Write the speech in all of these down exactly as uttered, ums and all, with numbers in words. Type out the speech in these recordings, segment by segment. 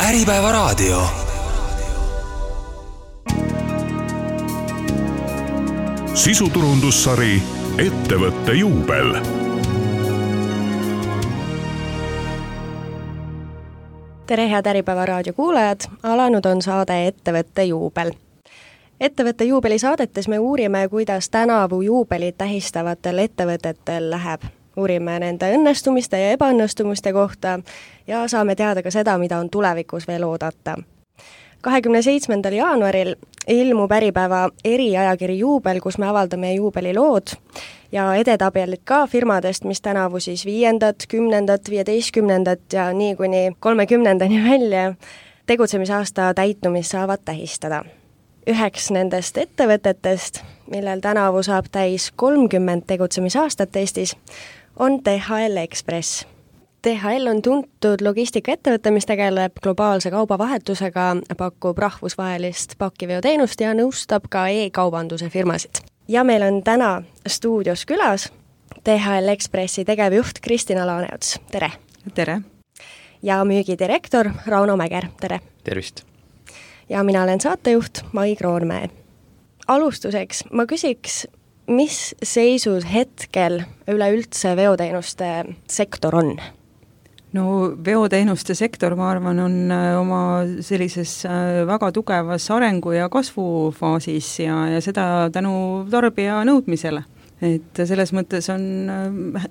Äripäevaraadio. Sisuturundussari Ettevõtte juubel. Tere head Äripäevaraadio kuulajad, alanud on saade Ettevõtte juubel. Ettevõtte juubeli saadetes me uurime, kuidas tänavu juubelit tähistavatel ettevõtetel läheb. Uurime nende õnnestumiste ja ebaõnnestumiste kohta ja saame teada ka seda, mida on tulevikus veel oodata. kahekümne seitsmendal jaanuaril ilmub Äripäeva eriajakiri Juubel, kus me avaldame juubelilood ja edetabelid ka firmadest, mis tänavu siis viiendat, kümnendat, viieteistkümnendat ja nii kuni kolmekümnendani välja tegutsemisaasta täitumist saavad tähistada. Üheks nendest ettevõtetest, millel tänavu saab täis kolmkümmend tegutsemisaastat Eestis, on D H L Express. D H L on tuntud logistikaettevõte, mis tegeleb globaalse kaubavahetusega, pakub rahvusvahelist pakiveoteenust ja nõustab ka e-kaubanduse firmasid. Ja meil on täna stuudios külas D H L Expressi tegevjuht Kristina Laaneots. Tere! Tere! Ja müügidirektor Rauno Mäger. Tere! Tervist! Ja mina olen saatejuht Mai Kroonmäe. Alustuseks ma küsiks, mis seisus hetkel üleüldse veoteenuste sektor on? No veoteenuste sektor, ma arvan, on oma sellises väga tugevas arengu- ja kasvufaasis ja, ja seda tänu tarbija nõudmisele. Et selles mõttes on,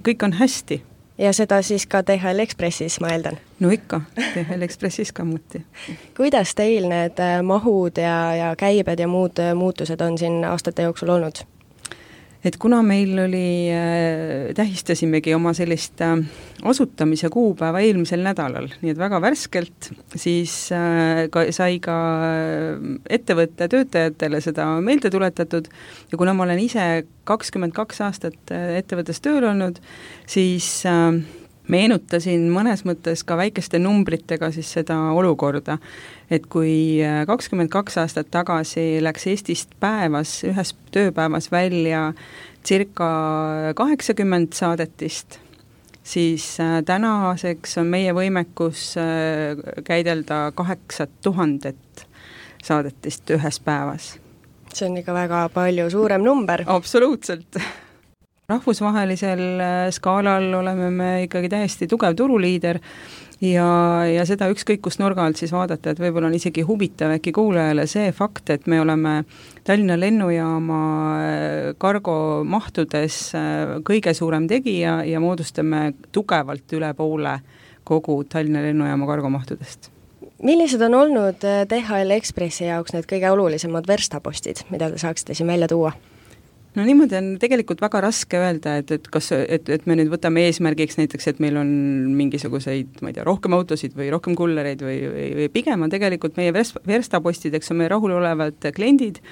kõik on hästi. Ja seda siis ka D H L Expressis, ma eeldan? No ikka, D H L Expressis ka muti. Kuidas teil need mahud ja, ja käibed ja muud muutused on siin aastate jooksul olnud? Et kuna meil oli, tähistasimegi oma sellist asutamise kuupäeva eelmisel nädalal, nii et väga värskelt, siis ka, sai ka ettevõtte töötajatele seda meelde tuletatud ja kuna ma olen ise kakskümmend kaks aastat ettevõttes tööl olnud, siis meenutasin mõnes mõttes ka väikeste numbritega siis seda olukorda, et kui kakskümmend kaks aastat tagasi läks Eestist päevas, ühes tööpäevas välja circa kaheksakümmend saadetist, siis tänaseks on meie võimekus käidelda kaheksa tuhandet saadetist ühes päevas. See on ikka väga palju suurem number. Absoluutselt. Rahvusvahelisel skaalal oleme me ikkagi täiesti tugev turuliider ja, ja seda ükskõik kus nurga alt siis vaadata, et võib-olla on isegi huvitav äkki kuulajale see fakt, et me oleme Tallinna lennujaama kargo mahtudes kõige suurem tegija ja moodustame tugevalt üle poole kogu Tallinna lennujaama kargo mahtudest. Millised on olnud D H L Expressi jaoks need kõige olulisemad verstapostid, mida te saaksite siin välja tuua? No niimoodi on tegelikult väga raske öelda, et, et, kas, et, et me nüüd võtame eesmärgiks näiteks, et meil on mingisuguseid, ma ei tea, rohkem autosid või rohkem kullereid või, või, või pigem on tegelikult meie verstapostideks on meie rahulolevad kliendid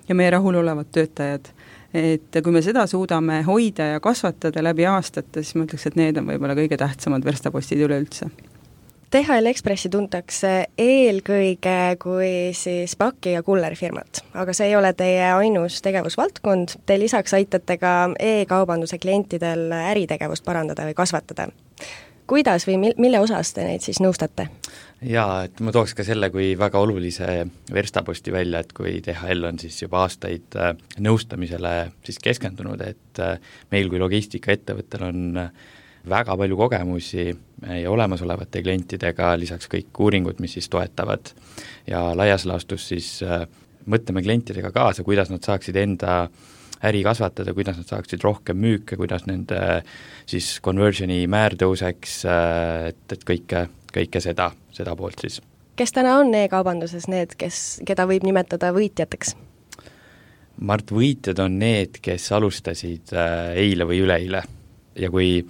ja meie rahulolevad töötajad. Et kui me seda suudame hoida ja kasvatada läbi aastate, siis ma ütleks, et need on võib-olla kõige tähtsamad verstapostid üleüldse. D H L Expressi tuntakse eelkõige kui siis paki- ja kullerfirmat, aga see ei ole teie ainus tegevusvaldkond. Te lisaks aitate ka e-kaubanduse klientidel äritegevust parandada või kasvatada. Kuidas või mille osas te neid siis nõustate? Jaa, et ma tooks ka selle kui väga olulise verstaposti välja, et kui D H L on siis juba aastaid nõustamisele siis keskendunud, et meil kui logistikaettevõttel on väga palju kogemusi ja olemasolevate klientidega, lisaks kõik uuringud, mis siis toetavad ja laias laastus siis äh, mõtleme klientidega kaasa, kuidas nad saaksid enda äri kasvatada, kuidas nad saaksid rohkem müüke, kuidas nende siis conversioni määr tõuseks, äh, et, et kõike, kõike seda, seda poolt siis. Kes täna on e-kaubanduses need, kes, keda võib nimetada võitjateks? Mart, võitjad on need, kes alustasid äh, eile või üleeile ja kui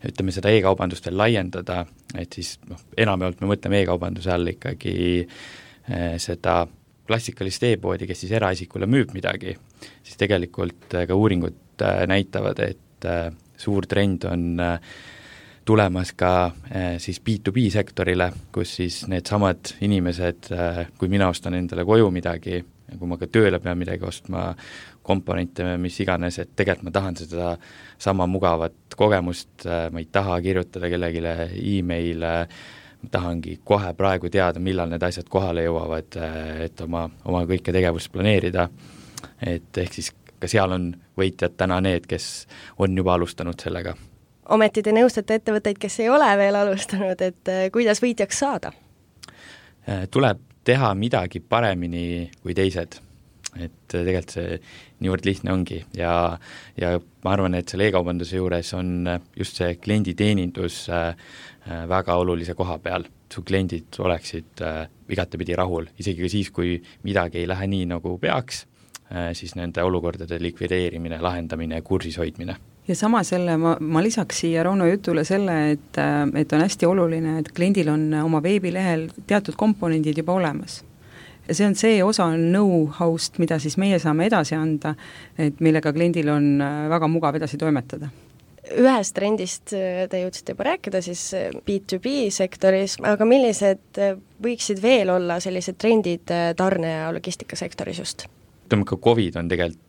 ütleme seda e-kaubandust veel laiendada, et siis noh, enamjaolt me mõtleme e-kaubanduse all ikkagi eh, seda klassikalist e-poodi, kes siis eraisikule müüb midagi, siis tegelikult ka uuringud eh, näitavad, et eh, suur trend on eh, tulemas ka eh, siis B to B sektorile, kus siis needsamad inimesed, eh, kui mina ostan endale koju midagi, kui ma ka tööle pean midagi ostma, komponente, mis iganes, et tegelikult ma tahan seda sama mugavat kogemust, ma ei taha kirjutada kellegile e-maile, tahangi kohe praegu teada, millal need asjad kohale jõuavad, et oma, oma kõike tegevust planeerida, et ehk siis ka seal on võitjad täna need, kes on juba alustanud sellega. Ometi te nõustate ettevõtteid, kes ei ole veel alustanud, et kuidas võitjaks saada? Tuleb teha midagi paremini kui teised, et tegelikult see niivõrd lihtne ongi ja, ja ma arvan, et selle e-kaubanduse juures on just see klienditeenindus väga olulise koha peal. Su kliendid oleksid igatepidi rahul, isegi ka siis, kui midagi ei lähe nii, nagu peaks, siis nende olukordade likvideerimine, lahendamine ja kursis hoidmine. Ja sama selle, ma, ma lisaks siia Rauno jutule selle, et, et on hästi oluline, et kliendil on oma veebilehel teatud komponendid juba olemas. Ja see on see osa know-how'st, mida siis meie saame edasi anda, et millega kliendil on väga mugav edasi toimetada. Ühest trendist te jõudsite juba rääkida siis B to B sektoris, aga millised võiksid veel olla sellised trendid tarne- ja logistikasektoris just? Ütleme, ka COVID on tegelikult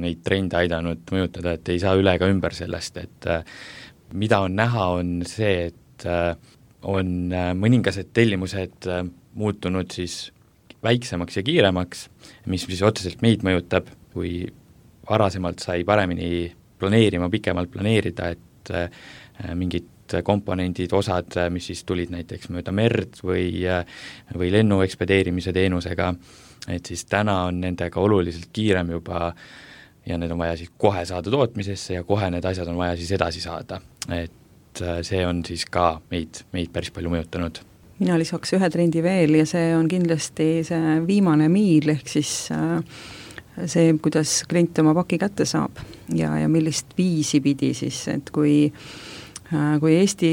neid trende aidanud mõjutada, et ei saa üle ega ümber sellest, et mida on näha, on see, et on mõningased tellimused muutunud siis väiksemaks ja kiiremaks, mis siis otseselt meid mõjutab, kui varasemalt sai paremini planeerima, pikemalt planeerida, et mingid komponendid, osad, mis siis tulid näiteks mööda merd või, või lennu ekspedeerimise teenusega, et siis täna on nendega oluliselt kiirem juba ja need on vaja siis kohe saada tootmisesse ja kohe need asjad on vaja siis edasi saada. Et see on siis ka meid, meid päris palju mõjutanud. Mina lisaks ühe trendi veel ja see on kindlasti see viimane miil, ehk siis see, kuidas klient oma paki kätte saab ja, ja millist viisi pidi siis, et kui kui Eesti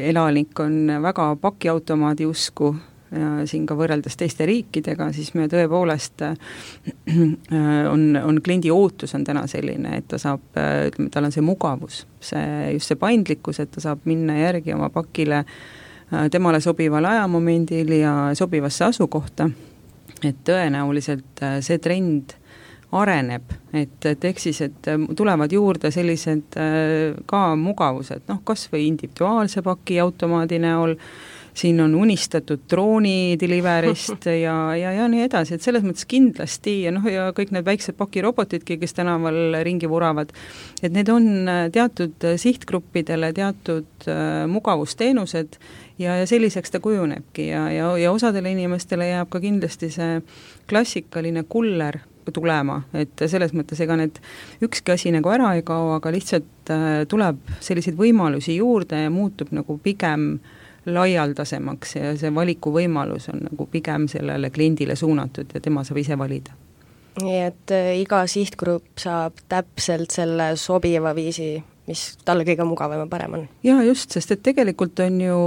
elanik on väga pakiautomaadi usku ja siin ka võrreldes teiste riikidega, siis me tõepoolest on, on kliendi ootus on täna selline, et ta saab, tal on see mugavus, see, just see paindlikkus, et ta saab minna järgi oma pakile temale sobival ajamomendil ja sobivasse asukohta, et tõenäoliselt see trend areneb, et, et ehk siis, et tulevad juurde sellised ka mugavused, noh, kas või individuaalse paki automaadi näol, siin on unistatud drooni deliverist ja, ja, ja nii edasi, et selles mõttes kindlasti ja noh, ja kõik need väiksed pakirobotidki, kes tänaval ringi vuravad, et need on teatud sihtgruppidele teatud äh, mugavusteenused ja, ja selliseks ta kujunebki ja, ja, ja osadele inimestele jääb ka kindlasti see klassikaline kuller tulema, et selles mõttes ega need ükski asi nagu ära ei kao, aga lihtsalt äh, tuleb selliseid võimalusi juurde ja muutub nagu pigem laialdasemaks ja see valiku võimalus on nagu pigem sellele kliendile suunatud ja tema saab ise valida. Nii et iga sihtgrupp saab täpselt selle sobiva viisi, mis talle kõige mugavam ja parem on. Jaa, just, sest et tegelikult on ju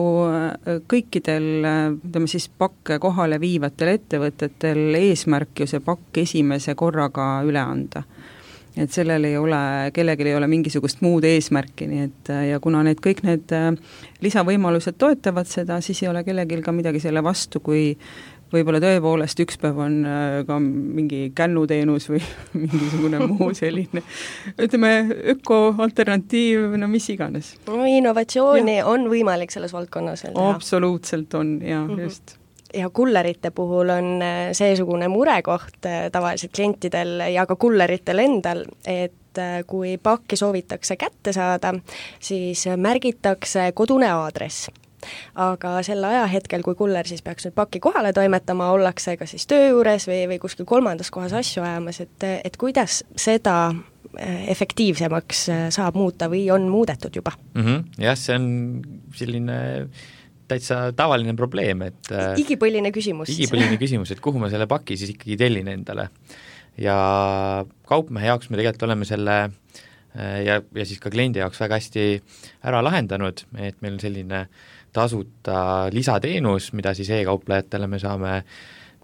kõikidel, ütleme siis pakke kohale viivatel ettevõtetel eesmärk ju see pakk esimese korraga üle anda. Et sellel ei ole, kellelgi ei ole mingisugust muud eesmärki, nii et ja kuna need kõik need lisavõimalused toetavad seda, siis ei ole kellelgi ka midagi selle vastu, kui võib-olla tõepoolest üks päev on ka mingi kännuteenus või mingisugune muu selline, ütleme, öko-alternatiiv, no mis iganes. No innovatsiooni ja. On võimalik selles valdkonnas veel teha. Absoluutselt on, jaa, mm-hmm. just. Ja kullerite puhul on seesugune murekoht tavaliselt klientidel ja ka kulleritel endal, et kui pakki soovitakse kätte saada, siis märgitakse kodune aadress. Aga sel ajahetkel, kui kuller siis peaks nüüd pakki kohale toimetama, ollakse ka siis töö juures või, või kuskil kolmandas kohas asju ajamas, et, et kuidas seda efektiivsemaks saab muuta või on muudetud juba? Mm-hmm. Jah, see on selline täitsa tavaline probleem, et igipõline küsimus. Igipõline küsimus, et kuhu ma selle paki siis ikkagi tellin endale. Ja kaupmehe jaoks me tegelikult oleme selle ja, ja siis ka kliendi jaoks väga hästi ära lahendanud, et meil on selline tasuta lisateenus, mida siis e-kauplejatele me saame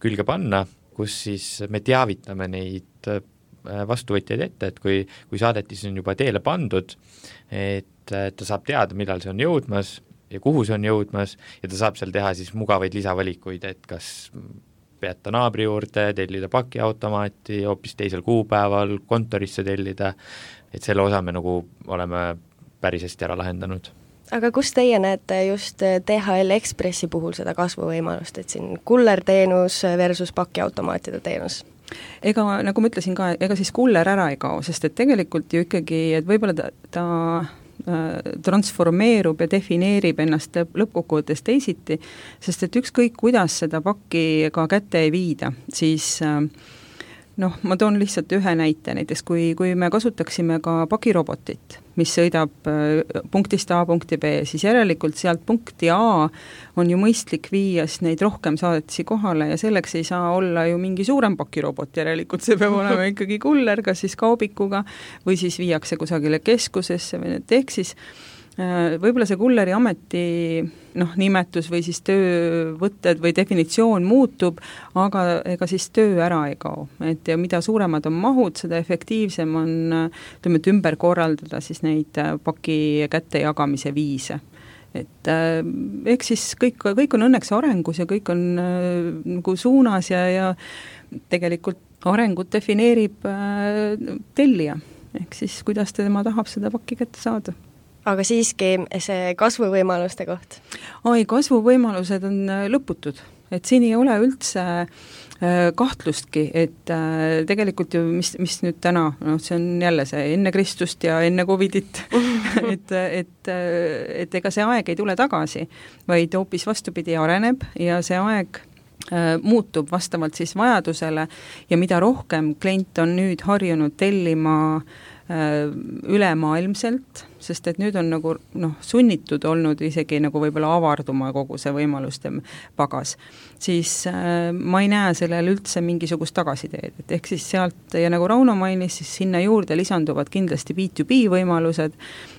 külge panna, kus siis me teavitame neid vastuvõtjaid ette, et kui, kui saadetis on juba teele pandud, et ta saab teada, millal see on jõudmas ja kuhu see on jõudmas ja ta saab seal teha siis mugavaid lisavalikuid, et kas peata naabri juurde, tellida pakiautomaati, hoopis teisel kuupäeval kontorisse tellida, et selle osa me nagu oleme päris hästi ära lahendanud. aga kus teie näete just D H L Expressi puhul seda kasvuvõimalust, et siin kullerteenus versus pakiautomaatide teenus? Ega nagu ma ütlesin ka, ega siis kuller ära ei kao, sest et tegelikult ju ikkagi, et võib-olla ta, ta äh, transformeerub ja defineerib ennast lõppkokkuvõttes teisiti, sest et ükskõik, kuidas seda pakki ka kätte ei viida, siis äh, noh, ma toon lihtsalt ühe näite, näiteks kui, kui me kasutaksime ka pakirobotit, mis sõidab punktist A punkti B, siis järelikult sealt punkti A on ju mõistlik viia neid rohkem saadetisi kohale ja selleks ei saa olla ju mingi suurem pakirobot, järelikult see peab olema ikkagi kuller, kas siis kaubikuga või siis viiakse kusagile keskusesse või need ehk siis võib-olla see kulleri ameti noh, nimetus või siis töövõtted või definitsioon muutub, aga ega siis töö ära ei kao. Et ja mida suuremad on mahud, seda efektiivsem on ütleme, et ümber korraldada siis neid paki kätte jagamise viise. Et äh, ehk siis kõik, kõik on õnneks arengus ja kõik on äh, nagu suunas ja, ja tegelikult arengut defineerib äh, tellija. Ehk siis kuidas tema tahab seda pakki kätte saada. Aga siiski see kasvuvõimaluste koht? Ai, kasvuvõimalused on lõputud, et siin ei ole üldse kahtlustki, et tegelikult ju, mis, mis nüüd täna, noh, see on jälle see enne Kristust ja enne Covidit, et, et, et ega see aeg ei tule tagasi, vaid hoopis vastupidi areneb ja see aeg muutub vastavalt siis vajadusele ja mida rohkem klient on nüüd harjunud tellima ülemaailmselt, sest et nüüd on nagu noh, sunnitud olnud isegi nagu võib-olla avarduma kogu see võimaluste pagas, siis äh, ma ei näe sellel üldse mingisugust tagasiteed, et ehk siis sealt ja nagu Rauno mainis, siis sinna juurde lisanduvad kindlasti B to B võimalused,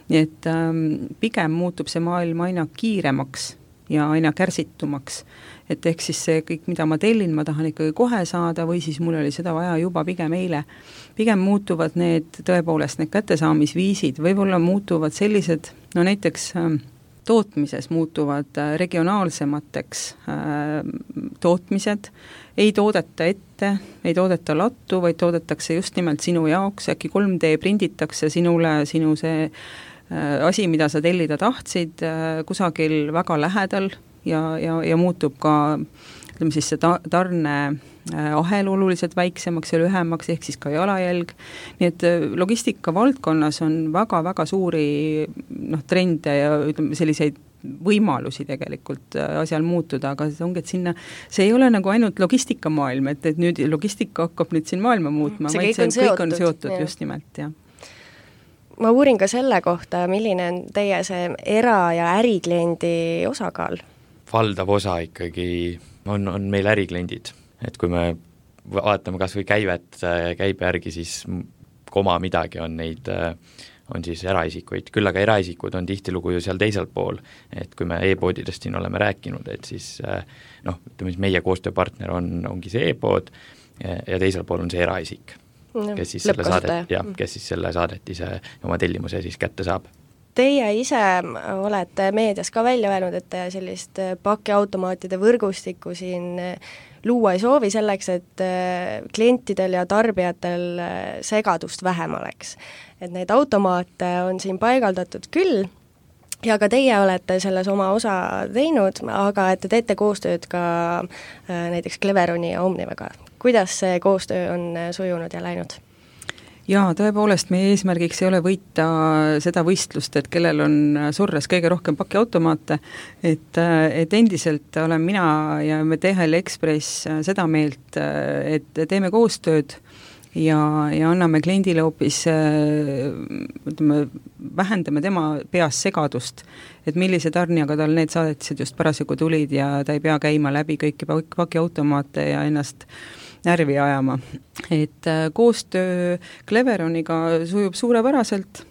et ähm, pigem muutub see maailm aina kiiremaks ja aina kärsitumaks, et ehk siis see kõik, mida ma tellin, ma tahan ikkagi kohe saada või siis mul oli seda vaja juba pigem eile. Pigem muutuvad need tõepoolest need kättesaamisviisid, võib-olla muutuvad sellised, no näiteks äh, tootmises muutuvad äh, regionaalsemateks äh, tootmised, ei toodeta ette, ei toodeta lattu, vaid toodetakse just nimelt sinu jaoks, äkki kolm D prinditakse sinule, sinu see asi, mida sa tellida tahtsid, kusagil väga lähedal ja, ja, ja muutub ka ütleme siis see ta, tarne ahel oluliselt väiksemaks ja lühemaks, ehk siis ka jalajälg. Nii et logistika valdkonnas on väga-väga suuri noh, trende ja ütleme selliseid võimalusi tegelikult asjal muutuda, aga see ongi, et sinna, see ei ole nagu ainult logistikamaailm, et, et nüüd logistika hakkab nüüd siin maailma muutma, see vaid kõik on see seotud, kõik on seotud ja. Just nimelt, jah. Ma uurin ka selle kohta, milline on teie see era- ja ärikliendi osakaal? Valdav osa ikkagi on, on meil ärikliendid, et kui me vaatame kas või käivet, käibe järgi, siis koma midagi on neid, on siis eraisikuid, küll aga eraisikud on tihtilugu ju seal teisel pool, et kui me e-poodidest siin oleme rääkinud, et siis noh, ütleme siis meie koostööpartner on, ongi see e-pood ja, ja teisel pool on see eraisik. No, kes siis selle saadet, jah, kes siis selle saadetise oma tellimuse siis kätte saab. Teie ise olete meedias ka välja öelnud, et te sellist pakiautomaatide võrgustikku siin luua ei soovi selleks, et klientidel ja tarbijatel segadust vähem oleks. Et neid automaate on siin paigaldatud küll ja ka teie olete selles oma osa teinud, aga et te teete koostööd ka näiteks Cleveroni ja Omnivaga. Kuidas see koostöö on sujunud ja läinud? Jaa, tõepoolest meie eesmärgiks ei ole võita seda võistlust, et kellel on surres kõige rohkem pakiautomaate, et, et endiselt olen mina ja me D H L Express seda meelt, et teeme koostööd ja, ja anname kliendile hoopis, ütleme, vähendame tema peas segadust, et millise tarnijaga tal need saadetised just parasjagu tulid ja ta ei pea käima läbi kõiki pakiautomaate ja ennast närvi ajama. Et koostöö Cleveroniga sujub suurepäraselt.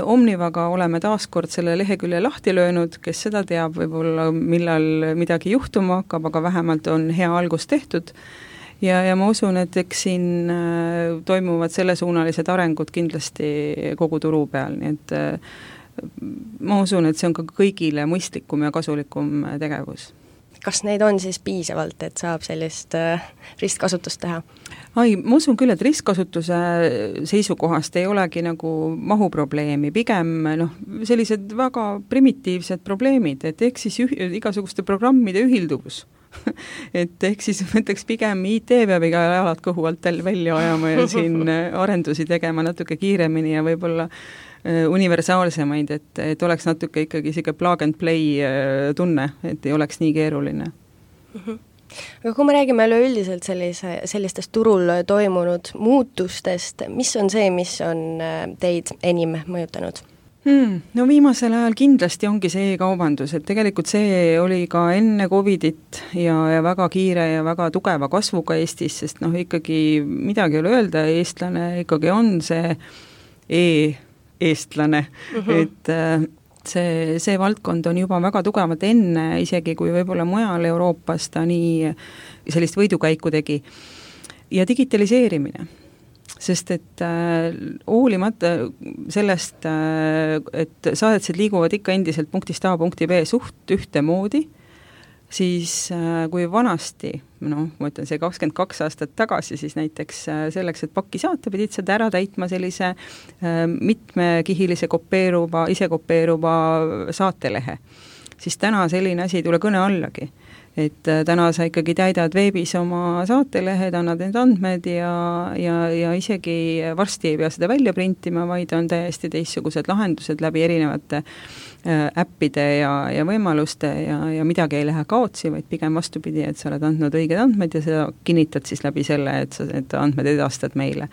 Omnivaga oleme taaskord selle lehekülje lahti löönud, kes seda teab, võib-olla millal midagi juhtuma hakkab, aga vähemalt on hea algus tehtud. Ja, ja ma usun, et eks siin toimuvad sellesuunalised arengud kindlasti kogu turu peal, nii et ma usun, et see on ka kõigile mõistlikum ja kasulikum tegevus. kas neid on siis piisavalt, et saab sellist ristkasutust teha? Ai, ma usun küll, et ristkasutuse seisukohast ei olegi nagu mahuprobleemi, pigem noh, sellised väga primitiivsed probleemid, et ehk siis üh, igasuguste programmide ühilduvus. et ehk siis mõtleks pigem I T peab iga jalad kõhu alt välja ajama ja siin arendusi tegema natuke kiiremini ja võib-olla universaalsemaid, et, et oleks natuke ikkagi siuke plug and play tunne, et ei oleks nii keeruline. Mm-hmm. Aga kui me räägime üleüldiselt sellise, sellistest turul toimunud muutustest, mis on see, mis on teid enim mõjutanud? Hmm, no viimasel ajal kindlasti ongi see e-kaubandus, et tegelikult see oli ka enne Covidit ja, ja väga kiire ja väga tugeva kasvuga Eestis, sest noh, ikkagi midagi ei ole öelda, eestlane ikkagi on see e-eestlane, uh-huh. et see, see valdkond on juba väga tugevalt enne, isegi kui võib-olla mujal Euroopas ta nii sellist võidukäiku tegi. Ja digitaliseerimine. Sest et äh, hoolimata sellest, äh, et saadetsed liiguvad ikka endiselt punktist A punkti B suht ühte moodi, siis äh, kui vanasti, noh, ma ütlen see kakskümmend kaks aastat tagasi, siis näiteks äh, selleks, et pakki saata, pidid seda ära täitma sellise äh, mitmekihilise kopeeruva, ise kopeeruva saatelehe. Siis täna selline asi ei tule kõne allagi. Et täna sa ikkagi täidad veebis oma saatelehed, annad need andmed ja, ja, ja isegi varsti ei pea seda välja printima, vaid on täiesti teistsugused lahendused läbi erinevate äh, äppide ja, ja võimaluste ja, ja midagi ei lähe kaotsi, vaid pigem vastupidi, et sa oled andnud õiged andmed ja seda kinnitad siis läbi selle, et sa need andmed edastad meile.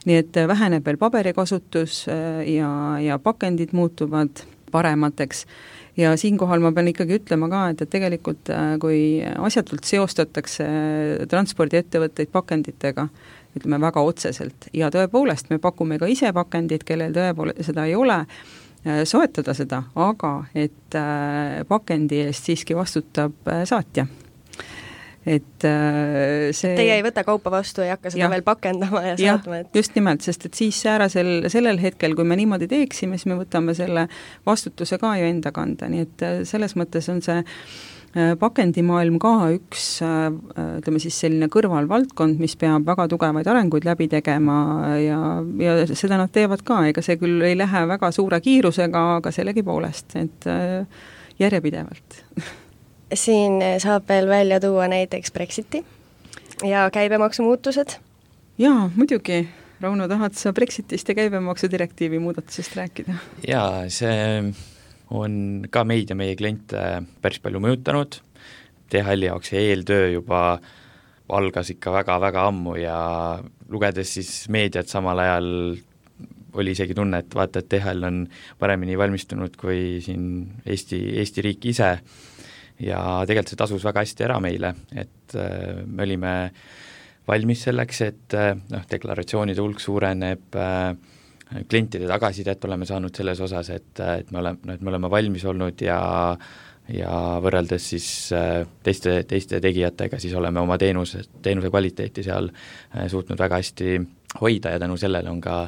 Nii et väheneb veel paberikasutus äh, ja, ja pakendid muutuvad paremateks. Ja siinkohal ma pean ikkagi ütlema ka, et, et tegelikult kui asjatult seostatakse transpordiettevõtteid pakenditega, ütleme väga otseselt, ja tõepoolest me pakume ka ise pakendid, kellel tõepoolest seda ei ole, soetada seda, aga et pakendi eest siiski vastutab saatja. Et see... Teie ei võta kaupa vastu, ei hakka seda ja. Veel pakendama ja saatma. Et... just nimelt, sest et siis säärasel, sellel hetkel, kui me niimoodi teeksime, siis me võtame selle vastutuse ka ju enda kanda, nii et selles mõttes on see pakendimaailm ka üks, ütleme siis selline kõrvalvaldkond, mis peab väga tugevaid arenguid läbi tegema ja, ja seda nad teevad ka, ega see küll ei lähe väga suure kiirusega, aga sellegi poolest, et järjepidevalt. Siin saab veel välja tuua näiteks Brexiti ja käibemaksumuutused. Jaa, muidugi. Rauno, tahad sa Brexitist ja käibemaksudirektiivi muudatusest rääkida? Jaa, see on ka meid ja meie kliente päris palju mõjutanud. T H L jaoks eeltöö juba algas ikka väga-väga ammu ja lugedes siis meediat samal ajal oli isegi tunne, et vaata, et T H L on paremini valmistunud kui siin Eesti, Eesti riik ise. Ja tegelikult see tasus väga hästi ära meile, et äh, me olime valmis selleks, et äh, noh, deklaratsioonide hulk suureneb, äh, klientide tagasisidet oleme saanud selles osas, et, et, me oleme, no, et me oleme valmis olnud ja, ja võrreldes siis äh, teiste, teiste tegijatega, siis oleme oma teenuse, teenuse kvaliteeti seal äh, suutnud väga hästi hoida ja tänu sellele on ka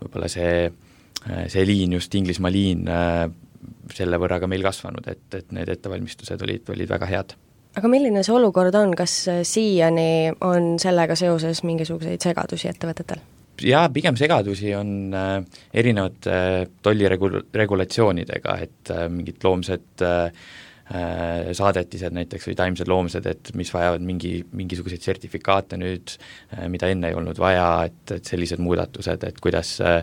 võib-olla see, äh, see liin, just Inglismaa liin, äh, selle võrra ka meil kasvanud, et, et need ettevalmistused olid, olid väga head. Aga milline see olukord on, kas siiani on sellega seoses mingisuguseid segadusi ettevõtetel? Jaa, pigem segadusi on äh, erinevate äh, tolliregulatsioonidega, et äh, mingid loomsed äh, saadetised näiteks või taimsed loomsed, et mis vajavad mingi, mingisuguseid sertifikaate nüüd, äh, mida enne ei olnud vaja, et, et sellised muudatused, et kuidas äh,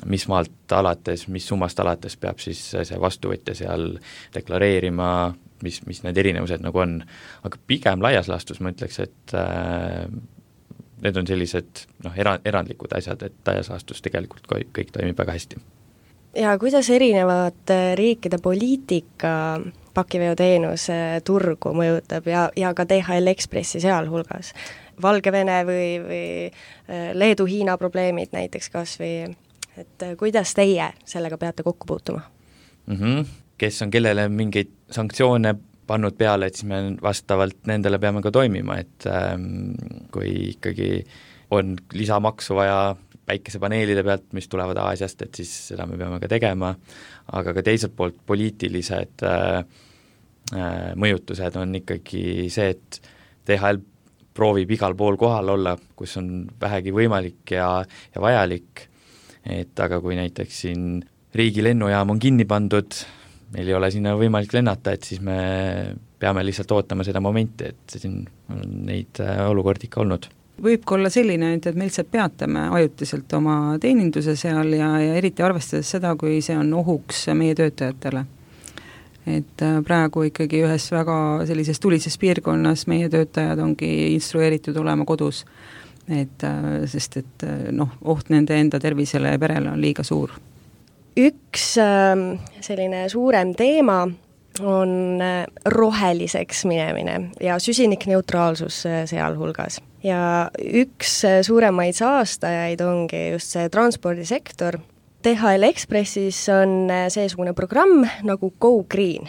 mis maalt alates, mis summast alates peab siis see vastuvõtja seal deklareerima, mis, mis need erinevused nagu on. Aga pigem laias laastus ma ütleks, et äh, need on sellised noh, era, erandlikud asjad, et laias laastus tegelikult kõik, kõik toimib väga hästi. Ja kuidas erinevad riikide poliitika pakiveoteenuse turgu mõjutab ja, ja ka D H L Expressi sealhulgas? Valgevene või, või Leedu-Hiina probleemid näiteks kas või, et kuidas teie sellega peate kokku puutuma? Mm-hmm. Kes on kellele mingeid sanktsioone pannud peale, et siis me vastavalt nendele peame ka toimima, et ähm, kui ikkagi on lisamaksu vaja päikesepaneelide pealt, mis tulevad Aasiast, et siis seda me peame ka tegema, aga ka teiselt poolt poliitilised äh, mõjutused on ikkagi see, et D H L proovib igal pool kohal olla, kus on vähegi võimalik ja, ja vajalik, et aga kui näiteks siin riigi lennujaam on kinni pandud, meil ei ole sinna võimalik lennata, et siis me peame lihtsalt ootama seda momenti, et siin on neid olukordi ikka olnud. Võib ka olla selline, et me lihtsalt peatame ajutiselt oma teeninduse seal ja, ja eriti arvestades seda, kui see on ohuks meie töötajatele. Et praegu ikkagi ühes väga sellises tulises piirkonnas meie töötajad ongi instrueeritud olema kodus, et, sest et noh, oht nende enda tervisele ja perele on liiga suur. Üks selline suurem teema on roheliseks minemine ja süsinikneutraalsus sealhulgas. Ja üks suuremaid saastajaid ongi just see transpordisektor. D H L Expressis on seesugune programm nagu Go Green.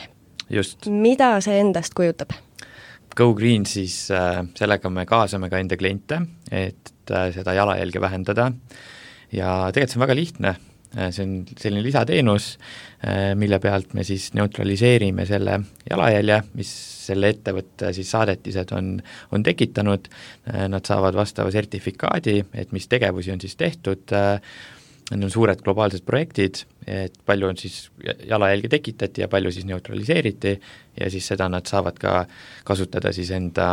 Just. Mida see endast kujutab? Go Green siis äh, sellega me kaasame ka enda kliente, et äh, seda jalajälge vähendada ja tegelikult see on väga lihtne. See on selline lisateenus, äh, mille pealt me siis neutraliseerime selle jalajälje, mis selle ettevõtte siis saadetised on, on tekitanud. Äh, nad saavad vastava sertifikaadi, et mis tegevusi on siis tehtud. Äh, Need on suured globaalsed projektid, et palju on siis jalajälge tekitati ja palju siis neutraliseeriti ja siis seda nad saavad ka kasutada siis enda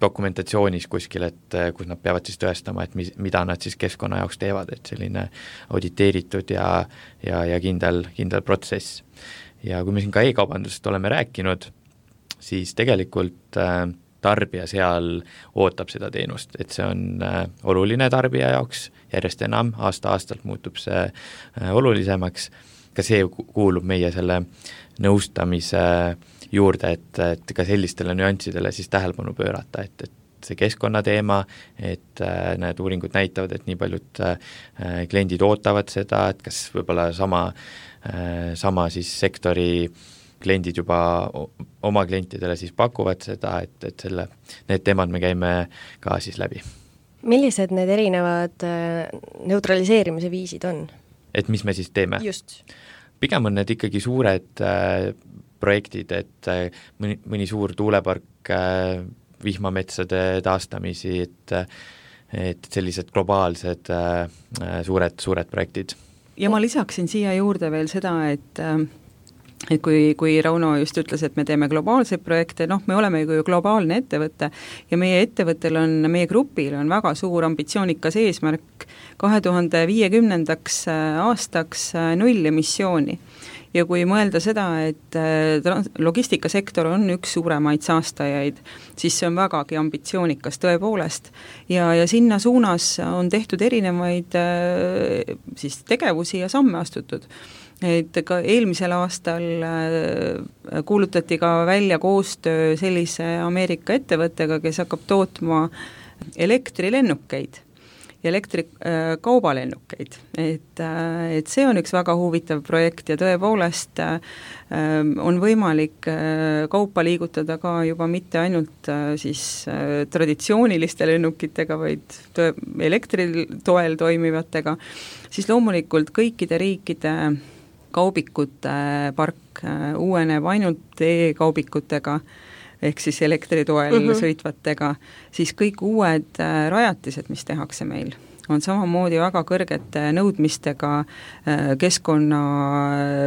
dokumentatsioonis kuskil, et kus nad peavad siis tõestama, et mis, mida nad siis keskkonna jaoks teevad, et selline auditeeritud ja, ja, ja kindel, kindel protsess. Ja kui me siin ka e-kaubandusest oleme rääkinud, siis tegelikult äh, tarbija seal ootab seda teenust, et see on äh, oluline tarbija jaoks, järjest enam, aasta-aastalt muutub see äh, olulisemaks, ka see kuulub meie selle nõustamise juurde, et, et ka sellistele nüanssidele siis tähelepanu pöörata, et, et see keskkonnateema, et äh, need uuringud näitavad, et nii paljud äh, kliendid ootavad seda, et kas võib-olla sama, äh, sama siis sektori kliendid juba oma klientidele siis pakuvad seda, et, et selle, need teemad me käime ka siis läbi. Millised need erinevad neutraliseerimise viisid on? Et mis me siis teeme? Just. Pigem on need ikkagi suured äh, projektid, et äh, mõni, mõni suur tuulepark, äh, vihmametsade taastamisi, et, et sellised globaalsed äh, suured, suured projektid. Ja ma lisaksin siia juurde veel seda, et äh, et kui, kui Rauno just ütles, et me teeme globaalseid projekte, noh, me oleme ju globaalne ettevõte ja meie ettevõttel on, meie grupil on väga suur ambitsioonikas eesmärk kahe tuhande viiekümnendaks aastaks null emissiooni. Ja kui mõelda seda, et logistikasektor on üks suuremaid saastajaid, siis see on vägagi ambitsioonikas tõepoolest. Ja, ja sinna suunas on tehtud erinevaid siis tegevusi ja samme astutud. Et ka eelmisel aastal kuulutati ka välja koostöö sellise Ameerika ettevõttega, kes hakkab tootma elektrilennukeid ja elektrikaubalennukeid. Et, et see on üks väga huvitav projekt ja tõepoolest on võimalik kaupa liigutada ka juba mitte ainult siis traditsiooniliste lennukitega, vaid elektritoel toimivatega, siis loomulikult kõikide riikide kaubikute park uueneb ainult e-kaubikutega, ehk siis elektritoel mm-hmm. sõitvatega, siis kõik uued rajatised, mis tehakse meil, on samamoodi väga kõrgete nõudmistega keskkonna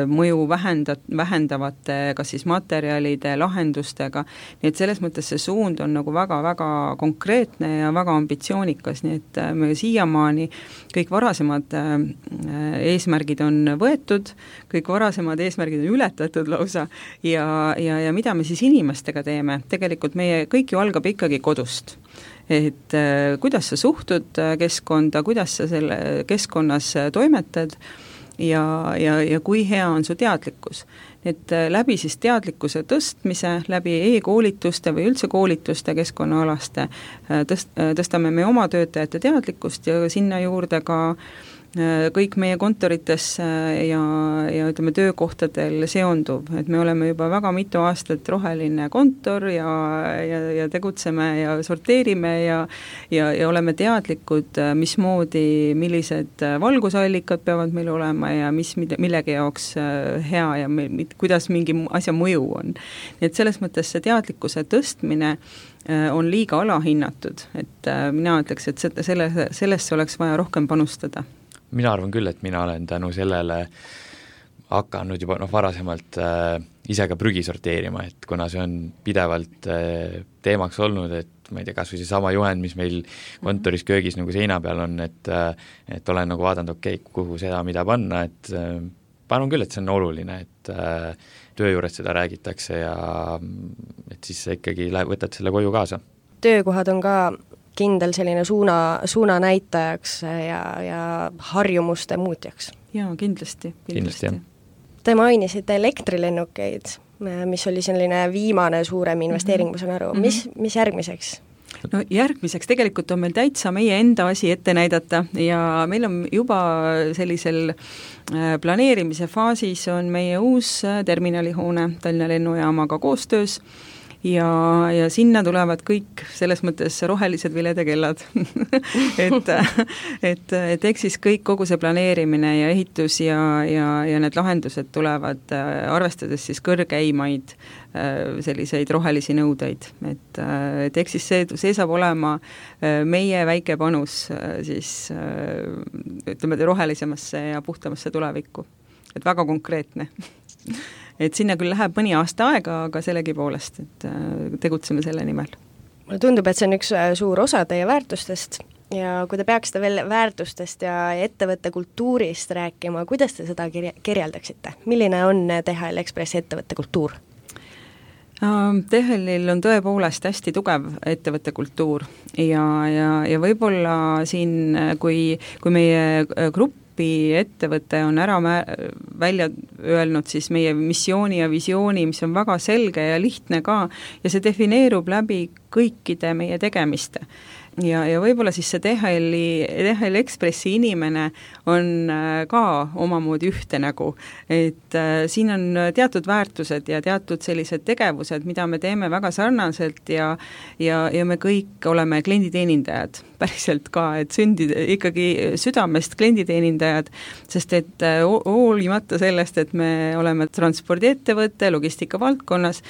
mõju vähendat, vähendavate kas siis materjalide, lahendustega, nii et selles mõttes see suund on nagu väga-väga konkreetne ja väga ambitsioonikas, nii et me siiamaani kõik varasemad eesmärgid on võetud, kõik varasemad eesmärgid on ületatud lausa ja, ja, ja mida me siis inimestega teeme, tegelikult meie kõik ju algab ikkagi kodust. Et äh, kuidas sa suhtud keskkonda, kuidas sa selle keskkonnas toimetad ja, ja, ja kui hea on su teadlikkus. Et äh, läbi siis teadlikkuse tõstmise, läbi e-koolituste või üldse koolituste keskkonnaalaste äh, tõst, äh, tõstame me oma töötajate teadlikkust ja sinna juurde ka kõik meie kontorites ja, ja ütleme, töökohtadel seonduv, et me oleme juba väga mitu aastat roheline kontor ja, ja, ja tegutseme ja sorteerime ja, ja, ja oleme teadlikud, mismoodi, millised valgusallikad peavad meil olema ja mis millegi jaoks hea ja kuidas mingi asja mõju on. Nii et selles mõttes see teadlikkuse tõstmine on liiga alahinnatud, et mina ütleks, et selle, sellesse oleks vaja rohkem panustada. Mina arvan küll, et mina olen tänu sellele hakanud juba noh, varasemalt äh, ise ka prügi sorteerima, et kuna see on pidevalt äh, teemaks olnud, et ma ei tea, kas või see sama juhend, mis meil kontoris köögis nagu seina peal on, et, äh, et olen nagu vaadanud, okei, okay, kuhu seda, mida panna, et äh, panun küll, et see on oluline, et äh, töö juures seda räägitakse ja et siis sa ikkagi läheb, võtad selle koju kaasa. Töökohad on ka kindel selline suuna, suuna näitajaks ja, ja harjumuste muutjaks. Jaa, kindlasti. kindlasti, jah. Te mainisite elektrilennukeid, mis oli selline viimane suurem investeering, ma saan aru. Mis, mis järgmiseks? No järgmiseks tegelikult on meil täitsa meie enda asi ette näidata ja meil on juba sellisel planeerimise faasis on meie uus terminalihoone Tallinna lennujaamaga koostöös ja, ja sinna tulevad kõik selles mõttes rohelised viledekellad et, et, et eks siis kõik, kogu see planeerimine ja ehitus ja, ja, ja need lahendused tulevad arvestades siis kõrgeimaid selliseid rohelisi nõudeid, et, et eks siis see, see saab olema meie väike panus siis ütleme rohelisemasse ja puhtamasse tulevikku, et väga konkreetne et sinna küll läheb mõni aasta aega, aga sellegi poolest, et tegutseme selle nimel. Mulle tundub, et see on üks suur osa teie väärtustest ja kui te peaksite veel väärtustest ja ettevõtte kultuurist rääkima, kuidas te seda kirjeldaksite? Milline on T H L Express ettevõtte kultuur? T H L-il on tõepoolest hästi tugev ettevõtte kultuur ja, ja, ja võib-olla siin, kui, kui meie grupp ettevõte on ära välja öelnud siis meie missiooni ja visiooni, mis on väga selge ja lihtne ka ja see defineerub läbi kõikide meie tegemiste. Ja, ja võib-olla siis see T H L-i, T H L Expressi inimene on ka omamoodi ühte nägu, et äh, siin on teatud väärtused ja teatud sellised tegevused, mida me teeme väga sarnaselt ja, ja, ja me kõik oleme klienditeenindajad, päriselt ka, et sündid ikkagi südamest klienditeenindajad, sest et äh, hoolimata sellest, et me oleme transpordiettevõte logistika valdkonnas,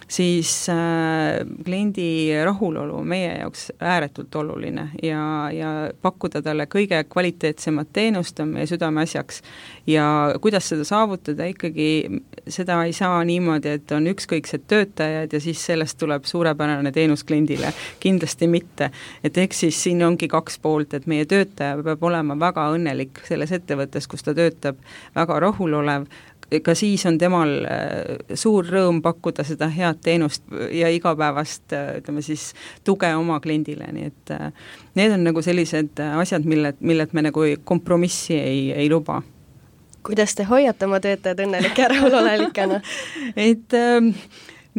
siis äh, kliendi rahulolu meie jaoks ääretult oluline ja, ja pakkuda talle kõige kvaliteetsemat teenust on meie südameasjaks. Ja kuidas seda saavutada, ikkagi seda ei saa niimoodi, et on ükskõiksed töötajad ja siis sellest tuleb suurepärane teenus kliendile. Kindlasti mitte. Et eks siis siin ongi kaks poolt, et meie töötaja peab olema väga õnnelik selles ettevõttes, kus ta töötab, väga rahulolev, ka siis on temal suur rõõm pakkuda seda head teenust ja igapäevast, ütleme siis, tuge oma kliendile, nii et need on nagu sellised asjad, mille, millet me nagu kompromissi ei, ei luba. Kuidas te hoiate oma töötajad õnnelike ja rahulolelikena? et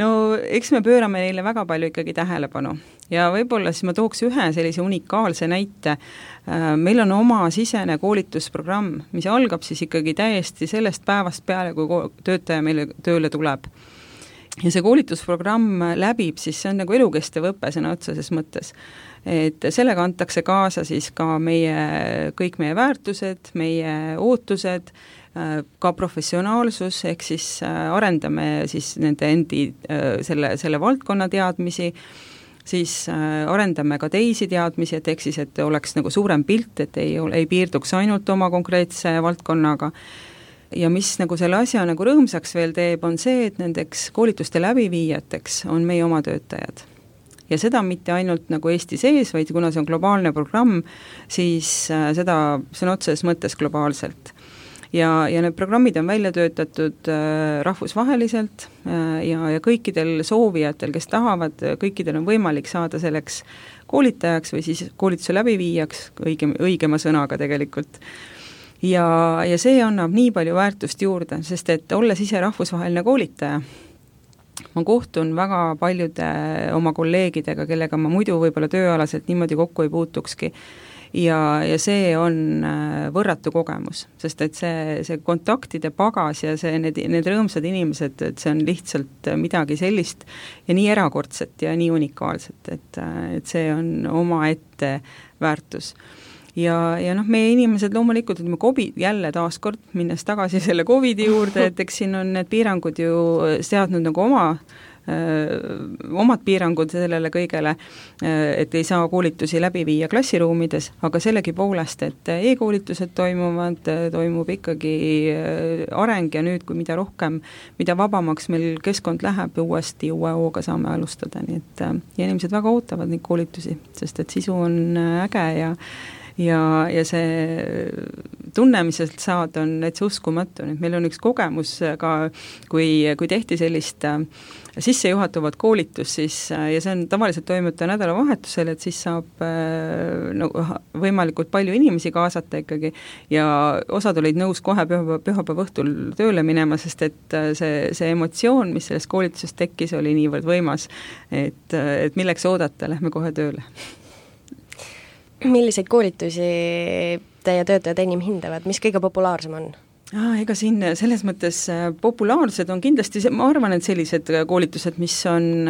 no eks me pöörame neile väga palju ikkagi tähelepanu ja võib-olla siis ma tooks ühe sellise unikaalse näite. Meil on oma sisene koolitusprogramm, mis algab siis ikkagi täiesti sellest päevast peale, kui töötaja meile tööle tuleb. Ja see koolitusprogramm läbib, siis see on nagu elukestev õpe sõna otseses mõttes. Et sellega antakse kaasa siis ka meie, kõik meie väärtused, meie ootused, ka professionaalsus, ehk siis arendame siis nende endi selle, selle valdkonna teadmisi, siis arendame ka teisi teadmisi, et ehk siis, et oleks nagu suurem pilt, et ei, ei piirduks ainult oma konkreetse valdkonnaga. Ja mis nagu selle asja nagu rõõmsaks veel teeb, on see, et nendeks koolituste läbiviijateks on meie oma töötajad. Ja seda mitte ainult nagu Eesti sees, vaid kuna see on globaalne programm, siis seda, see on otseses mõttes globaalselt. Ja, ja need programmid on välja töötatud äh, rahvusvaheliselt äh, ja, ja kõikidel soovijatel, kes tahavad, kõikidel on võimalik saada selleks koolitajaks või siis koolituse läbiviijaks, õige, õigema sõnaga tegelikult. Ja, ja see annab nii palju väärtust juurde, sest et olles ise rahvusvaheline koolitaja, ma kohtun väga paljude oma kolleegidega, kellega ma muidu võib-olla tööalaselt niimoodi kokku ei puutukski. ja, ja see on võrratu kogemus, sest et see, see kontaktide pagas ja see, need, need rõõmsad inimesed, et see on lihtsalt midagi sellist ja nii erakordset ja nii unikaalset, et, et see on omaette väärtus. Ja, ja noh, meie inimesed loomulikult, et me COVID, jälle taaskord, minnes tagasi selle COVIDi juurde, et eks siin on need piirangud ju seadnud nagu oma öö, omad piirangud sellele kõigele, et ei saa koolitusi läbi viia klassiruumides, aga sellegipoolest, et e-koolitused toimuvad, toimub ikkagi areng ja nüüd, kui mida rohkem, mida vabamaks meil keskkond läheb, uuesti uue hooga saame alustada, nii et ja inimesed väga ootavad neid koolitusi, sest et sisu on äge ja ja, ja see tunne, mis sealt saad, on täitsa uskumatu, nüüd meil on üks kogemus ka, kui, kui tehti sellist sissejuhatavat koolitus, siis, ja see on tavaliselt toimuta nädalavahetusel, et siis saab no, võimalikult palju inimesi kaasata ikkagi ja osad olid nõus kohe pühapäeva, pühapäeva õhtul tööle minema, sest et see, see emotsioon, mis sellest koolitusest tekkis, oli niivõrd võimas, et, et milleks oodata, lähme kohe tööle. Milliseid koolitusi teie töötajad enim hindavad, mis kõige populaarsem on? Ah, ega siin selles mõttes populaarsed on kindlasti, ma arvan, et sellised koolitused, mis on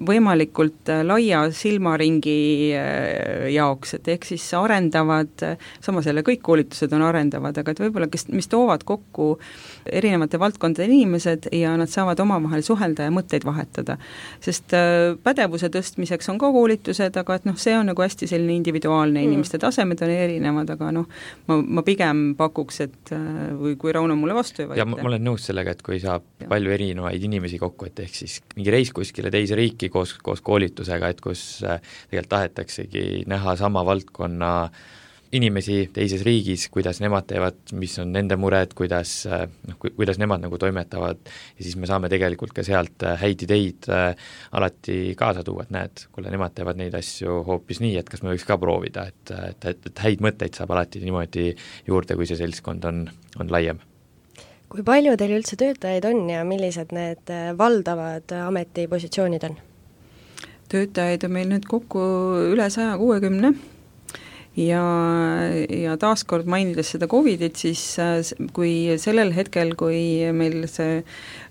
võimalikult laia silmaringi jaoks, et ehk siis arendavad, samas jälle kõik koolitused on arendavad, aga et võib-olla, kes, mis toovad kokku erinevate valdkondade inimesed ja nad saavad omavahel suhelda ja mõtteid vahetada. Sest pädevuse tõstmiseks on ka koolitused, aga et noh, see on nagu hästi selline individuaalne, inimeste tasemed on erinevad, aga noh, ma, ma pigem pakuks, et või kui Rauno mulle vastu ei vaidle. Ja ma, ma olen nõus sellega, et kui saab ja. palju erinevaid inimesi kokku, et ehk siis mingi reis kuskile teise riiki koos, koos koolitusega, et kus tegelikult tahetaksegi näha sama valdkonna inimesi teises riigis, kuidas nemad teevad, mis on nende mured, kuidas, noh, kuidas nemad nagu toimetavad ja siis me saame tegelikult ka sealt häid ideid alati kaasa tuua, et näed, kuule, nemad teevad neid asju hoopis nii, et kas me võiks ka proovida, et, et, et, et häid mõtteid saab alati niimoodi juurde, kui see seltskond on, on laiem. Kui palju teil üldse töötajaid on ja millised need valdavad ametipositsioonid on? Töötajaid on meil nüüd kokku üle saja kuuekümne ja, ja taaskord mainides seda COVIDit, siis kui sellel hetkel, kui meil see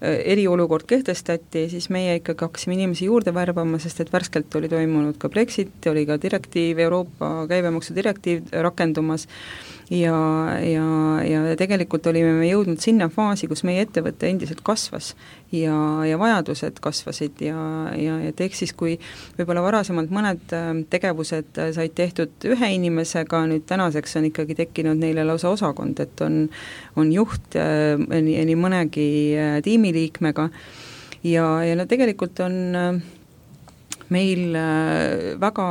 eriolukord kehtestati, siis meie ikkagi hakkasime inimesi juurde värbama, sest et värskelt oli toimunud ka Brexit, oli ka direktiiv, Euroopa käibemaksu direktiiv rakendumas ja, ja, ja tegelikult olime me jõudnud sinna faasi, kus meie ettevõte endiselt kasvas ja, ja vajadused kasvasid ja, ja et ehk siis, kui võib-olla varasemalt mõned tegevused said tehtud ühe inimesega, nüüd tänaseks on ikkagi tekkinud neile lausa osakond, et on, on juht nii, nii mõnegi tiimiliikmega ja, ja no tegelikult on meil väga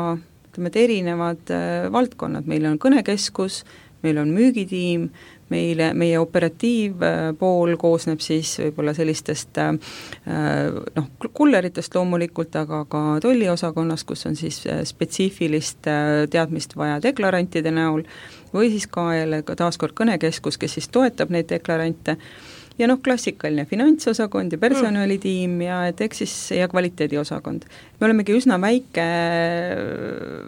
ütleme, et erinevad valdkonnad, meil on kõnekeskus, meil on müügitiim, meile, meie operatiivpool koosneb siis võib-olla sellistest noh, kulleritest loomulikult, aga ka tolliosakonnast, kus on siis spetsiifilist teadmist vaja deklarantide näol, või siis ka jälle taaskord kõnekeskus, kes siis toetab neid deklarante, ja noh, klassikaline finantsosakond ja personalitiim ja et eks siis ja kvaliteediosakond. Me olemegi üsna väike,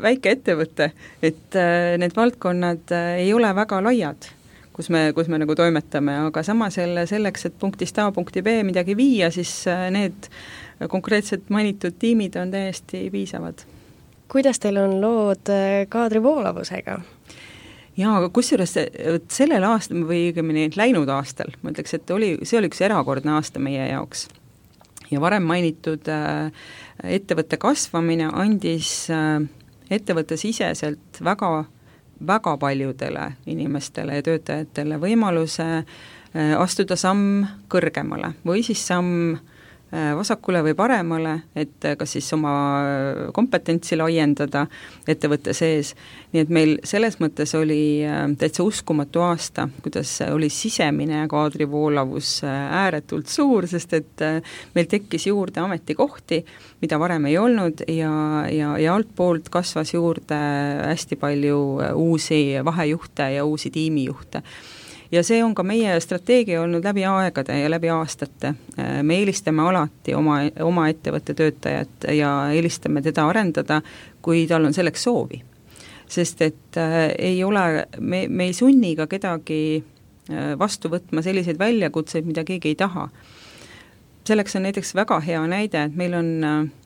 väike ettevõte, et need valdkonnad ei ole väga laiad, kus me, kus me nagu toimetame, aga samas jälle selleks, et punktist A punkti B midagi viia, siis need konkreetselt mainitud tiimid on täiesti piisavad. Kuidas teil on lood kaadrivoolavusega? Jaa, aga kusjuures sellel aastal või õigemini läinud aastal, ma ütleks, et oli, see oli üks erakordne aasta meie jaoks. Ja varem mainitud äh, ettevõtte kasvamine andis äh, ettevõtte siseselt väga, väga paljudele inimestele ja töötajatele võimaluse äh, astuda samm kõrgemale või siis samm vasakule või paremale, et kas siis oma kompetentsi laiendada ettevõtte sees. Nii et meil selles mõttes oli täitsa uskumatu aasta, kuidas oli sisemine kaadrivoolavus ääretult suur, sest et meil tekkis juurde ametikohti, mida varem ei olnud ja, ja, ja altpoolt kasvas juurde hästi palju uusi vahejuhte ja uusi tiimijuhte. Ja see on ka meie strateegia olnud läbi aegade ja läbi aastate. Me eelistame alati oma, oma ettevõtte töötajat ja eelistame teda arendada, kui tal on selleks soovi. sest et äh, ei ole, me, me ei sunni ka kedagi äh, vastu võtma selliseid väljakutseid, mida keegi ei taha. Selleks on näiteks väga hea näide, et meil on,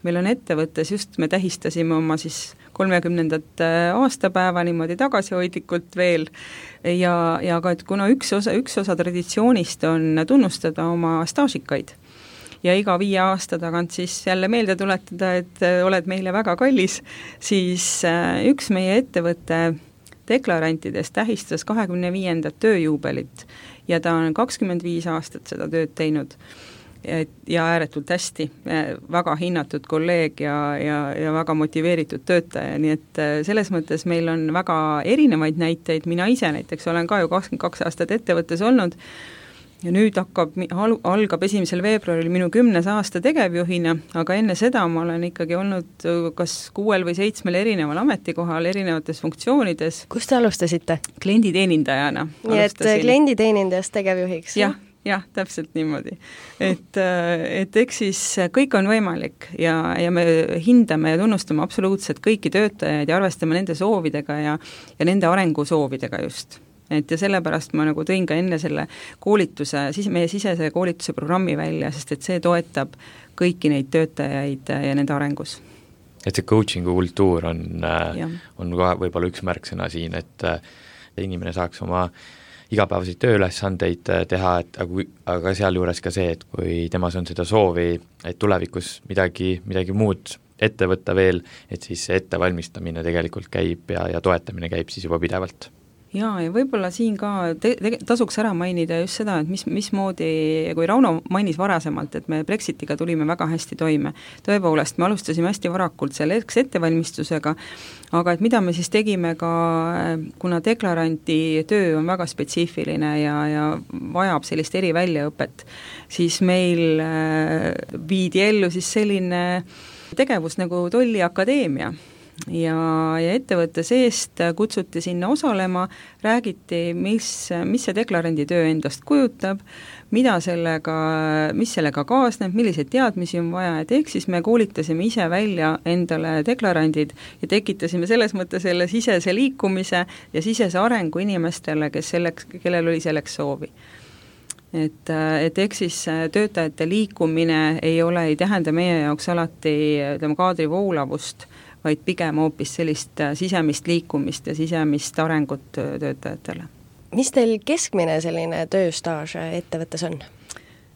meil on ettevõttes, just me tähistasime oma siis kolmekümnendat aastapäeva niimoodi tagasihoidlikult veel ja, ja ka, et kuna üks osa, üks osa traditsioonist on tunnustada oma staažikaid ja iga viie aasta tagant siis jälle meelde tuletada, et oled meile väga kallis, siis üks meie ettevõtte deklarantidest tähistas kahekümne viiendat tööjuubelit ja ta on kakskümmend viis aastat seda tööd teinud. Ja ääretult hästi, väga hinnatud kolleeg ja, ja, ja väga motiveeritud töötaja, nii et selles mõttes meil on väga erinevaid näiteid, mina ise näiteks olen ka ju kakskümmend kaks aastat ettevõttes olnud ja nüüd hakkab, algab esimesel veebruaril minu kümnes aasta tegevjuhina, aga enne seda ma olen ikkagi olnud kas kuuel või seitsmel erineval ametikohal, erinevates funktsioonides. Kus te alustasite? Klienditeenindajana. Nii et klienditeenindajast tegevjuhiks? Jah. jah, täpselt niimoodi. Et, et eks siis kõik on võimalik ja, ja me hindame ja tunnustame absoluutselt kõiki töötajaid ja arvestame nende soovidega ja, ja nende arengusoovidega just. Et ja sellepärast ma nagu tõin ka enne selle koolituse, siis meie sisese koolituse programmi välja, sest et see toetab kõiki neid töötajaid ja nende arengus. Et see coachingu kultuur on, on ka võib-olla üks märksõna siin, et inimene saaks oma igapäevaseid tööülesandeid teha, et aga, aga sealjuures ka see, et kui temas on seda soovi, et tulevikus midagi, midagi muud ette võtta veel, et siis see ettevalmistamine tegelikult käib ja, ja toetamine käib siis juba pidevalt. Jaa, ja võib-olla siin ka te, te, tasuks ära mainida just seda, et mis, mismoodi, kui Rauno mainis varasemalt, et me Brexitiga tulime väga hästi toime. Tõepoolest, me alustasime hästi varakult selleks ettevalmistusega, aga et mida me siis tegime ka, kuna deklaranti töö on väga spetsiifiline ja, ja vajab sellist eriväljaõpet, siis meil viidi ellu siis selline tegevus nagu Tolliakadeemia. Ja, ja ettevõtte seest kutsuti sinna osalema, räägiti, mis, mis see deklarandi töö endast kujutab, mida sellega, mis sellega kaasneb, milliseid teadmisi on vaja, et ehk siis me koolitasime ise välja endale deklarandid ja tekitasime selles mõttes selle sisese liikumise ja sisese arengu inimestele, kes selleks, kellel oli selleks soovi. Et, et ehk siis töötajate liikumine ei ole, ei tähenda meie jaoks alati ütleme, kaadri voolavust, vaid pigem hoopis sellist sisemist liikumist ja sisemist arengut töötajatele. Mis teil keskmine selline tööstaaž ettevõttes on?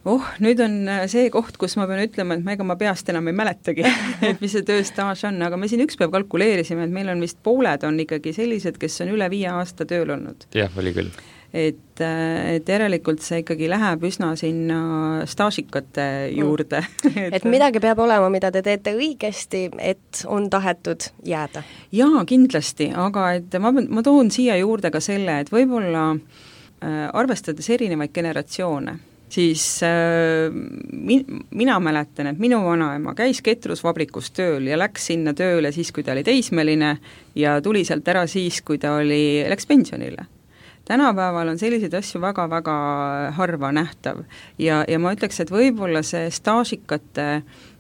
Oh, nüüd on see koht, kus ma pean ütlema, et ma ega ma peast enam ei mäletagi, et mis see tööstaaž on, aga me siin üks päev kalkuleerisime, et meil on vist pooled on ikkagi sellised, kes on üle viie aasta tööl olnud. Jah, oli küll. Et, et järelikult see ikkagi läheb üsna sinna staažikate juurde. et, et midagi peab olema, mida te teete õigesti, et on tahetud jääda? Jaa, kindlasti, aga et ma, ma toon siia juurde ka selle, et võib-olla äh, arvestades erinevaid generatsioone, siis äh, min, mina mäletan, et minu vanaema käis ketrusvabrikus tööl ja läks sinna tööle siis, kui ta oli teismeline ja tuli sealt ära siis, kui ta oli, läks pensionile. Tänapäeval on selliseid asju väga-väga harva nähtav ja, ja ma ütleks, et võib-olla see staažikate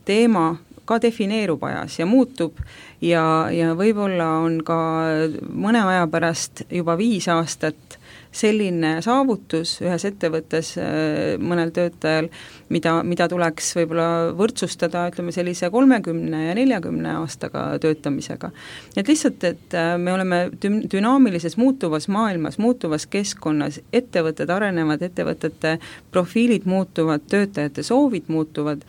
teema ka defineerub ajas ja muutub ja, ja võib-olla on ka mõne aja pärast juba viis aastat selline saavutus ühes ettevõttes mõnel töötajal, mida, mida tuleks võib-olla võrdsustada, ütleme sellise kolmekümne ja neljakümne aastaga töötamisega. Et lihtsalt, et me oleme dünaamilises muutuvas maailmas, muutuvas keskkonnas, ettevõtted arenevad, ettevõtete profiilid muutuvad, töötajate soovid muutuvad,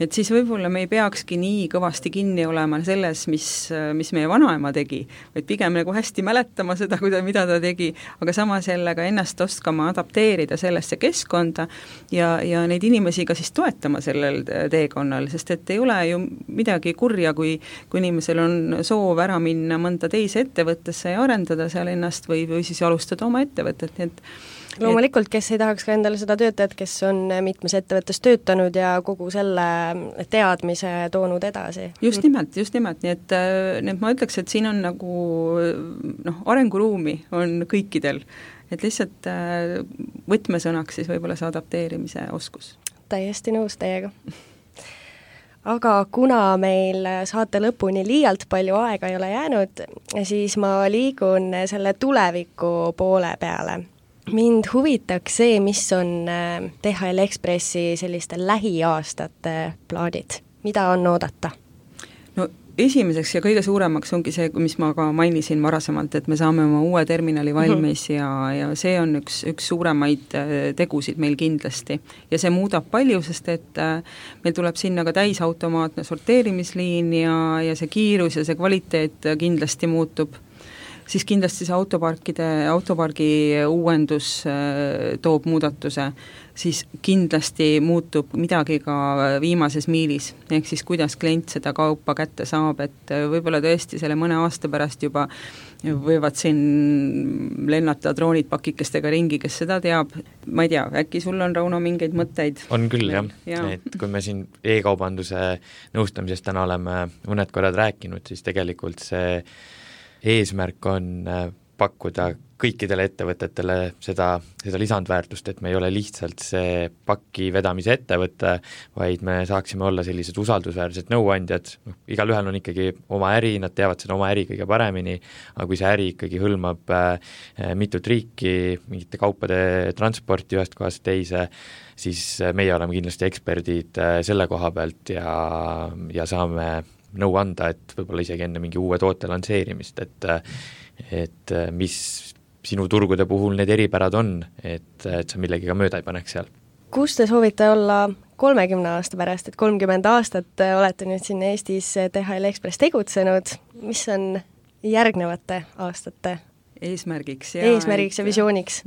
et siis võib-olla me ei peakski nii kõvasti kinni olema selles, mis, mis meie vanaema tegi, vaid pigem nagu hästi mäletama seda, mida ta tegi, aga samas jälle ka ennast oskama adapteerida sellesse keskkonda ja, ja neid inimesi ka siis toetama sellel teekonnal, sest et ei ole ju midagi kurja, kui, kui inimesel on soov ära minna mõnda teise ettevõttesse ja arendada seal ennast või, või siis alustada oma ettevõtet, nii et loomulikult, kes ei tahaks ka endale seda töötajat, kes on mitmes ettevõttes töötanud ja kogu selle teadmise toonud edasi. Just nimelt, just nimelt, nii et, nii et ma ütleks, et siin on nagu noh, arenguruumi on kõikidel, et lihtsalt võtmesõnaks siis võib-olla see adapteerimise oskus. Täiesti nõus teiega. aga kuna meil saate lõpuni liialt palju aega ei ole jäänud, siis ma liigun selle tuleviku poole peale. Mind huvitaks see, mis on D H L Expressi selliste lähiaastate plaanid. Mida on oodata? No esimeseks ja kõige suuremaks ongi see, mis ma ka mainisin varasemalt, et me saame oma uue terminali valmis ja, ja see on üks, üks suuremaid tegusid meil kindlasti. Ja see muudab palju, sest et meil tuleb sinna ka täisautomaatne sorteerimisliin ja, ja see kiirus ja see kvaliteet kindlasti muutub. Siis kindlasti see autoparkide, autopargi uuendus toob muudatuse, siis kindlasti muutub midagi ka viimases miilis, ehk siis kuidas klient seda kaupa kätte saab, et võib-olla tõesti selle mõne aasta pärast juba võivad siin lennata droonid pakikestega ringi, kes seda teab. Ma ei tea, äkki sul on, Rauno, mingeid mõtteid? On küll, jah. Ja. Et kui me siin e-kaubanduse nõustamisest täna oleme mõned korrad rääkinud, siis tegelikult see eesmärk on pakkuda kõikidele ettevõtetele seda, seda lisandväärtust, et me ei ole lihtsalt see paki vedamise ettevõte, vaid me saaksime olla sellised usaldusväärsed nõuandjad. No, igal ühel on ikkagi oma äri, nad teavad seda oma äri kõige paremini, aga kui see äri ikkagi hõlmab äh, mitut riiki, mingite kaupade transporti ühest kohast teise, siis meie oleme kindlasti eksperdid äh, selle koha pealt ja, ja saame nõu anda, et võib-olla isegi enne mingi uue toote lansseerimist, et, et mis sinu turgude puhul need eripärad on, et, et sa millegiga mööda ei paneks seal. Kus te soovite olla kolmekümne aasta pärast, et kolmkümmend aastat olete nüüd siin Eestis D H L Express tegutsenud, mis on järgnevate aastate eesmärgiks ja, eesmärgiks ja visiooniks?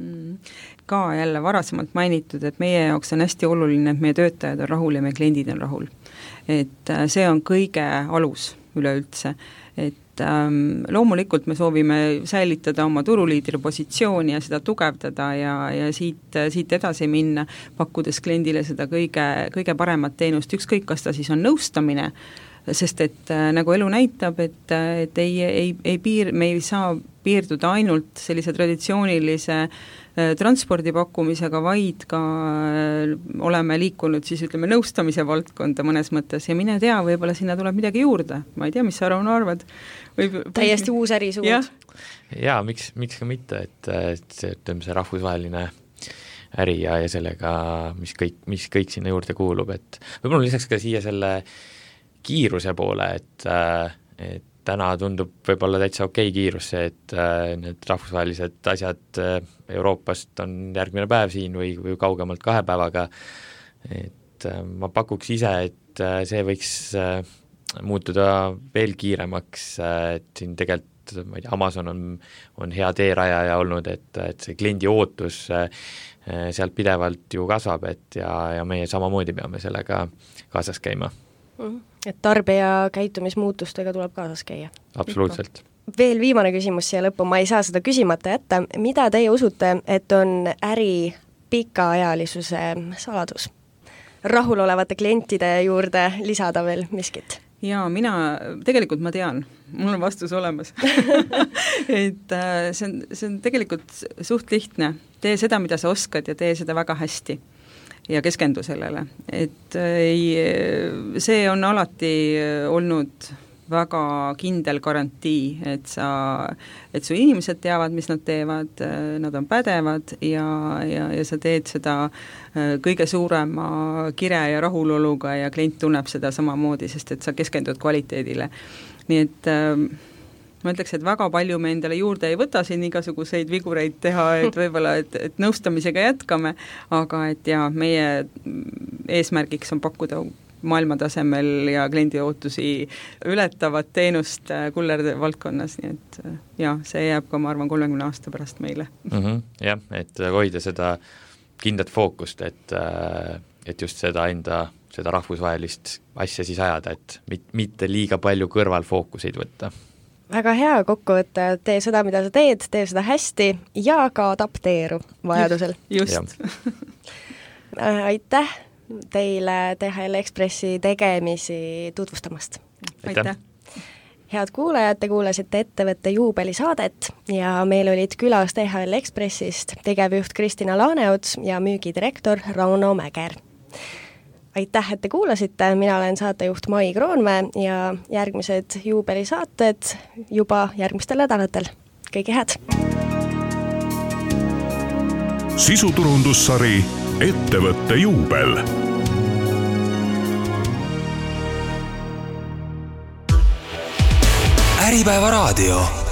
Ka jälle varasemalt mainitud, et meie jaoks on hästi oluline, et meie töötajad on rahul ja meie kliendid on rahul. Et see on kõige alus üleüldse, et ähm, loomulikult me soovime säilitada oma turuliidri positsiooni ja seda tugevdada ja, ja siit, siit edasi minna, pakkudes kliendile seda kõige, kõige paremat teenust, ükskõik kas ta siis on nõustamine, sest et äh, nagu elu näitab, et, et ei, ei, ei piir, me ei saa piirduda ainult sellise traditsioonilise transpordi pakkumisega, vaid ka oleme liikunud siis ütleme nõustamise valdkonda mõnes mõttes ja mine tea, võib-olla sinna tuleb midagi juurde. Ma ei tea, mis sa, Rauno, arvad? Võib, täiesti uus ärisuund. Ja, ja miks, miks ka mitte, et, et see, ütleme, see rahvusvaheline äri ja, ja sellega, mis kõik, mis kõik sinna juurde kuulub, et võib-olla lisaks ka siia selle kiiruse poole, et, et täna tundub võib-olla täitsa okei kiirus see, et äh, need rahvusvahelised asjad äh, Euroopast on järgmine päev siin või, või kaugemalt kahe päevaga, et äh, ma pakuks ise, et äh, see võiks äh, muutuda veel kiiremaks, äh, et siin tegelikult, ma ei tea, Amazon on, on hea teerajaja olnud, et, et see kliendi ootus äh, sealt pidevalt ju kasvab, et ja, ja meie samamoodi peame sellega kaasas käima. Mm-hmm. Et tarbija käitumismuutustega tuleb kaasas käia. Absoluutselt. Veel viimane küsimus siia lõppu, ma ei saa seda küsimata jätta. Mida teie usute, et on äri pikaajalisuse saladus? Rahulolevate klientide juurde lisada veel miskit? Jaa, mina, tegelikult ma tean, mul on vastus olemas. et see on, see on tegelikult suht lihtne. Tee seda, mida sa oskad ja tee seda väga hästi. Ja keskendu sellele, et ei, see on alati olnud väga kindel garantii, et sa, et su inimesed teavad, mis nad teevad, nad on pädevad ja, ja, ja sa teed seda kõige suurema kire ja rahuloluga ja klient tunneb seda samamoodi, sest et sa keskendud kvaliteedile. Nii et ma ütleks, et väga palju me endale juurde ei võta siin igasuguseid vigureid teha, et võib-olla, et, et nõustamisega jätkame, aga et ja meie eesmärgiks on pakkuda maailmatasemel ja kliendi ootusi ületavat teenust kullerde valdkonnas, nii et ja, see jääb ka, ma arvan, kolmekümne aasta pärast meile. Mm-hmm, jah, et hoida seda kindlat fookust, et, et just seda enda seda rahvusvahelist asja siis ajada, et mit, mitte liiga palju kõrvalfookuseid võtta. Väga hea kokkuvõte, tee seda, mida sa teed, tee seda hästi ja ka adapteeru vajadusel. Just. just. Aitäh teile D H L Expressi tegemisi tutvustamast. Aitäh. Head kuulajad, te kuulasite ettevõtte juubelisaadet ja meil olid külas D H L Expressist tegevjuht Kristina Laaneots ja müügidirektor Rauno Mäger. aitäh, et te kuulasite, mina olen saatejuht Mai Kroonmäe ja järgmised juubelisaated juba järgmistel nädalatel. Kõige head! Sisuturundussari Ettevõtte juubel. Äripäeva raadio.